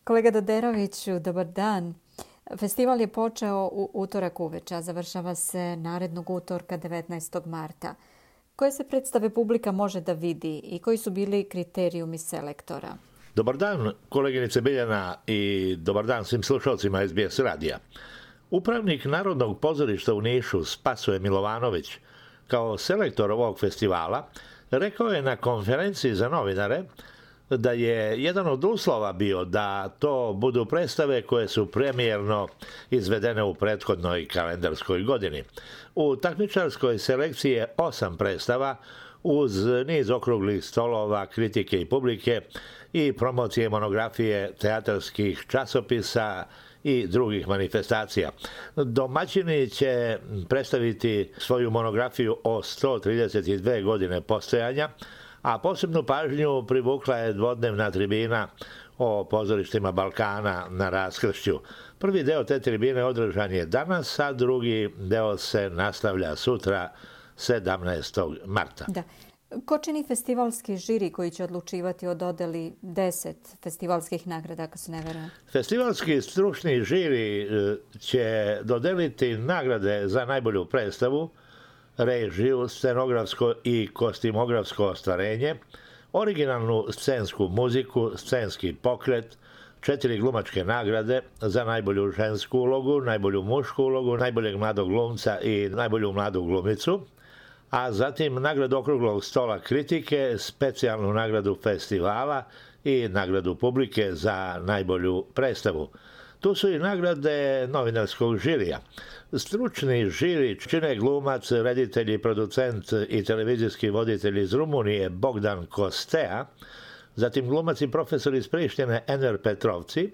Kolega Doderoviću, dobar dan. Festival je počeo u utorak uveče, a završava se narednog utorka 19. marta. Koje se predstave publika može da vidi i koji su bili kriterijumi selektora? Dobar dan, koleginice Biljana, i dobar dan svim slušalcima SBS radija. Upravnik Narodnog pozorišta u Nišu, Spasoje Milovanović, kao selektor ovog festivala, rekao je na konferenciji za novinare da je jedan od uslova bio da to budu predstave koje su premijerno izvedene u prethodnoj kalendarskoj godini. U takmičarskoj selekciji je 8 predstava uz niz okruglih stolova, kritike i publike i promocije monografije teatarskih časopisa i drugih manifestacija. Domaćini će predstaviti svoju monografiju o 132 godine postojanja, a posebnu pažnju privukla je dvodnevna tribina o pozorištima Balkana na Raskršću. Prvi deo te tribine održan je danas, a drugi deo se nastavlja sutra, 17. marta. Da. Ko čini festivalski žiri koji će odlučivati o dodeli 10 festivalskih nagrada, ako se ne verujem? Festivalski stručni žiri će dodeliti nagrade za najbolju predstavu, režiju, scenografsko i kostimografsko ostvarenje, originalnu scensku muziku, scenski pokret, 4 glumačke nagrade za najbolju žensku ulogu, najbolju mušku ulogu, najboljeg mladog glumca i najbolju mladu glumicu, a zatim nagradu okruglog stola kritike, specijalnu nagradu festivala i nagradu publike za najbolju predstavu. Tu su i nagrade novinarskog žirija. Stručni žiri čine glumac, reditelj i producent i televizijski voditelj iz Rumunije Bogdan Kostea, zatim glumac i profesor iz Prištine Enver Petrovci,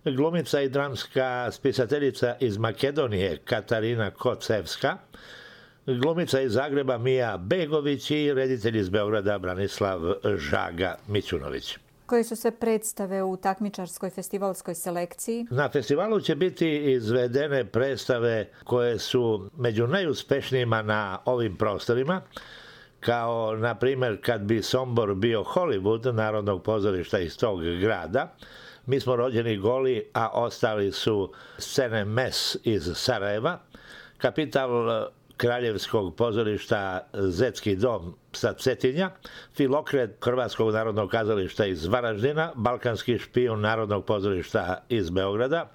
glumica i dramska spisateljica iz Makedonije Katarina Kocevska, glumica iz Zagreba Mija Begović i reditelj iz Beograda Branislav Žaga Mićunović. Koje su sve predstave u takmičarskoj festivalskoj selekciji? Na festivalu će biti izvedene predstave koje su među najuspešnijima na ovim prostorima, kao na primjer Kad bi Sombor bio Hollywood Narodnog pozorišta iz tog grada. Mi smo rođeni goli, a ostali su scene Mes iz Sarajeva, Kapital Kraljevskog pozorišta Zetski dom sa Cetinja, Filokret Hrvatskog narodnog kazališta iz Varaždina, Balkanski špijun Narodnog pozorišta iz Beograda,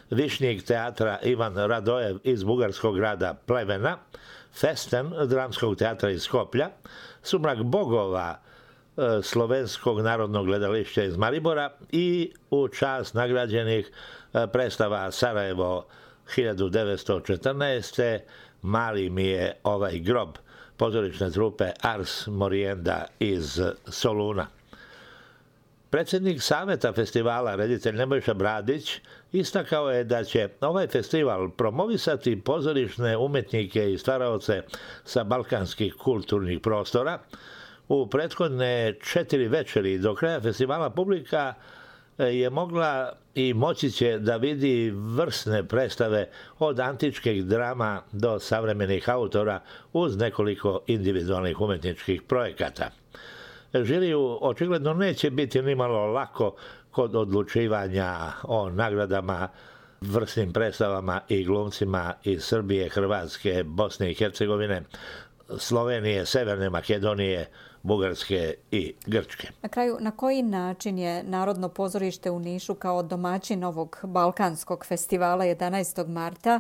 Višnjik teatra Ivan Radojev iz bugarskog grada Plevena, Festen Dramskog teatra iz Skoplja, Sumrak bogova Slovenskog narodnog gledališća iz Maribora i u čast nagrađenih predstava Sarajevo 1914. Mali mi je ovaj grob pozorišne trupe Ars Morienda iz Soluna. Predsjednik Saveta festivala, reditelj Nebojša Bradić, istakao je da će ovaj festival promovisati pozorišne umetnike i stvaraoce sa balkanskih kulturnih prostora. U prethodne 4 večeri do kraja festivala publika je mogla i moći će da vidi vrsne predstave od antičkih drama do savremenih autora uz nekoliko individualnih umetničkih projekata. Žiriju očigledno neće biti nimalo lako kod odlučivanja o nagradama vrsnim predstavama i glumcima iz Srbije, Hrvatske, Bosne i Hercegovine, Slovenije, Severne Makedonije, Bugarske i Grčke. Na kraju, na koji način je Narodno pozorište u Nišu kao domaćin ovog Balkanskog festivala 11. marta,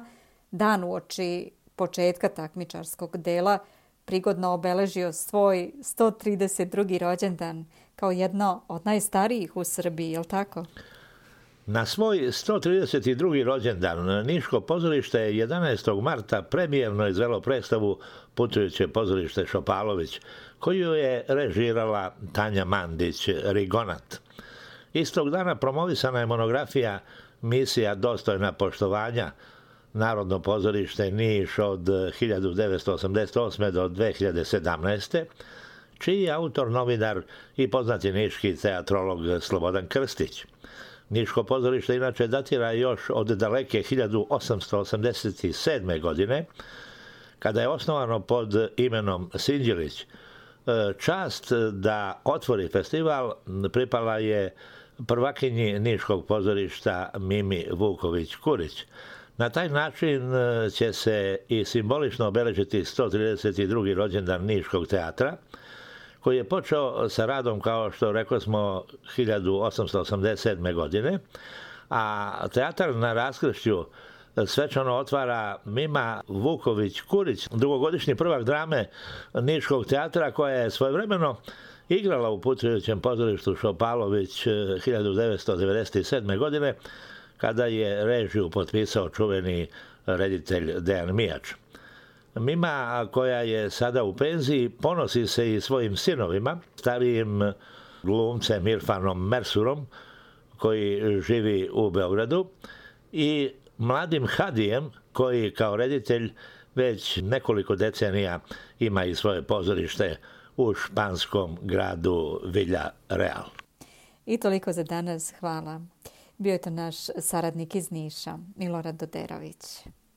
dan uoči početka takmičarskog dela, prigodno obeležio svoj 132. rođendan kao jedno od najstarijih u Srbiji, je li tako? Na svoj 132. rođendan Niško pozorište je 11. marta premijerno izvelo predstavu Putujuće pozorište Šopalović, koju je režirala Tanja Mandić Rigonat. Istog dana promovisana je monografija Misija dostojna poštovanja Narodno pozorište Niš od 1988. do 2017. čiji je autor novinar i poznati niški teatrolog Slobodan Krstić. Niško pozorište inače datira još od daleke 1887. godine, kada je osnovano pod imenom Sinđelić. Čast da otvori festival pripala je prvakinji Niškog pozorišta Mimi Vuković-Kurić. Na taj način će se i simbolično obeležiti 132. rođendan Niškog teatra, koji je počeo sa radom, kao što rekao smo, 1887. godine, a teatar na raskršću svečano otvara Mima Vuković-Kurić, dugogodišnji prvak drame Niškog teatra, koja je svojevremeno igrala u putujućem pozorištu Šopalović 1997. godine, kada je režiju potpisao čuveni reditelj Dejan Mijač. Mima, koja je sada u penziji, ponosi se i svojim sinovima, starijim glumcem Irfanom Mersurom, koji živi u Beogradu, i mladim Hadijem, koji kao reditelj već nekoliko decenija ima i svoje pozorište u španskom gradu Villa Real. I toliko za danas. Hvala. Bio je to naš saradnik iz Niša, Milorad Doderović.